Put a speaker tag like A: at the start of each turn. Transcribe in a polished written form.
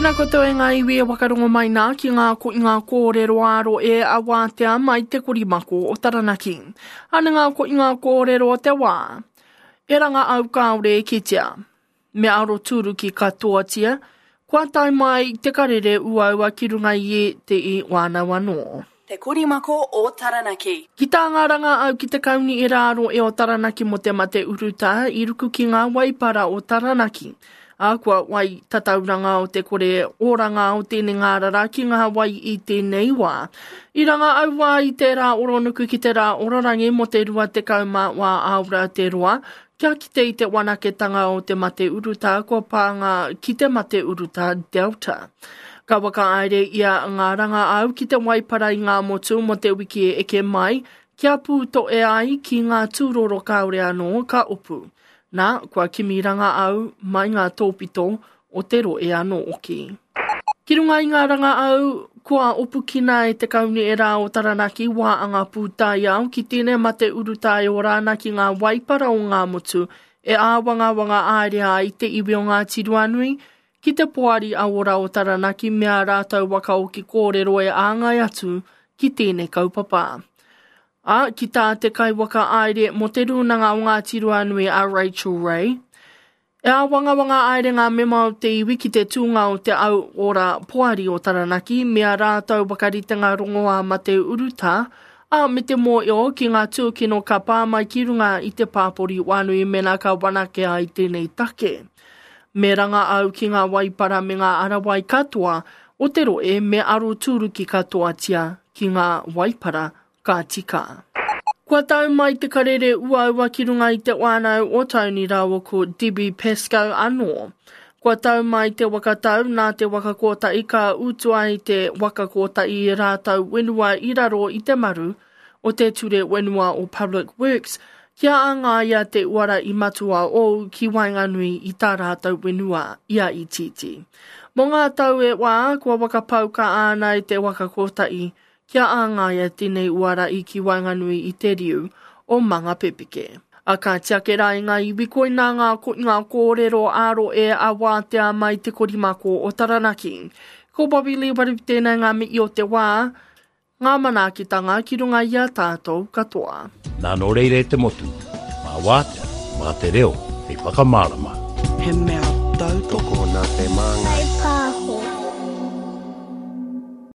A: Tēnā koutou e ngā iwi e wakarongo mai nā ki ngā ko i ngā kōrero ā-rohe a wātea mai te korimako o Taranaki. Ana ngā ko i ngā kōrero o te wā. E ranga au kāore e kitea. Me arotūruki katoatia, kua tae mai te karere uaua ki runga i e te i wānau anō.
B: Te Korimako o Taranaki.
A: Ki tā ngā ranga au ki te kauni e rāro e o Taranaki mō te mate urutā i ruku ki ngā waipara o Taranaki. Ā, kua wai tatauranga o te kore oranga o tēnei ngārara ki ngā wai i tēnei wā. I ranga au wā i te rā oronuku ki te rā ororangi mō te 20 wā āora te roa, Kia kite i te wanaketanga o te mate urutā kua pānga ki te mate urutā Delta. Ka whakahaere ia ngā rangaau ki te waipara i ngā motu mō te wiki e eke mai, kia pūtoe ai ki ngā tūroro kāore anō ka opu. Nā, kua kimi rangaau mai ngā tōpito o te rohe anō hoki. Ki runga i ngā rangaau, kua opukina e te Kaunihera o Taranaki wā anga pūtaiao ki tēnei mate urutā e ora ana ki ngā waipara o Ngāmotu e āwangawanga āere ai te iwi o Ngāti Ruanui ki te Poari Aora o Taranaki me ā rātou whakaoki kōrero e āngai atu ki tēnei kaupapa. Ā, ki tā te kaiwhakaāere mō Te Rūnanga o Ngāti Ruanui a Rachel Ray, E āwangawanga aere ngā mema o te iwi ki te tūnga o te Au Ora Poari o Taranaki me ā rātou whakaritenga rongoā mate urutā, ā, me te mōio ki ngā tūkino ka pā mai ki runga i te pāpori whānui mēnā ka whanake ai tēnei take. Me ranga au ki ngā waipara me ngā arawai katoa o te rohe me arotūruki katoatia ki ngā waipara Ka tika. Kua tau mai te karere uaua ki runga i te whānau o Tony rāua ko Debbie Pascoe anō. Kua tau mai te waka tau nā te waka kōtahi ka utua ai te waka kōtahi i rātou whenua i raro i te maru o te Ture Whenua o Public Works kia āngaia te uara i matua ou ki waenganui i tā rātou whenua i a Itiiti. Mō ngā tau e wā kua whakapau ka āna i te waka kōtahi Kia āngaia tēnei uara i ki waenganui i te riu o Mangapepeke. A ka tiake rā i ngā iwi koinā ngā ngā kōrero ā-rohe a wātea mai te korimako o Taranaki. Ko Bobby Lee Waru tēnei ngā mihi o te wā, ngā manaakitanga ki runga i a tātou katoa.
C: Nā nō reira e te motu, mā wātea, mā te reo hei whakamārama.
D: He mea tautoko nā te māngai.